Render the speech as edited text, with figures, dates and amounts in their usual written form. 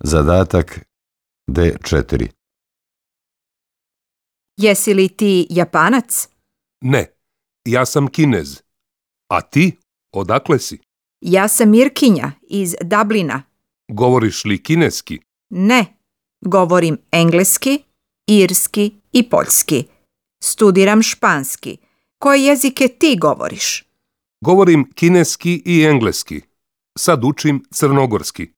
Zadatak D4. Jesi li ti Japanac? Ne, ja sam Kinez. A ti, odakle si? Ja sam Irkinja iz Dublina. Govoriš li kineski? Ne, govorim engleski, irski i poljski. Studiram španski. Koje jezike ti govoriš? Govorim kineski i engleski. Sad učim crnogorski.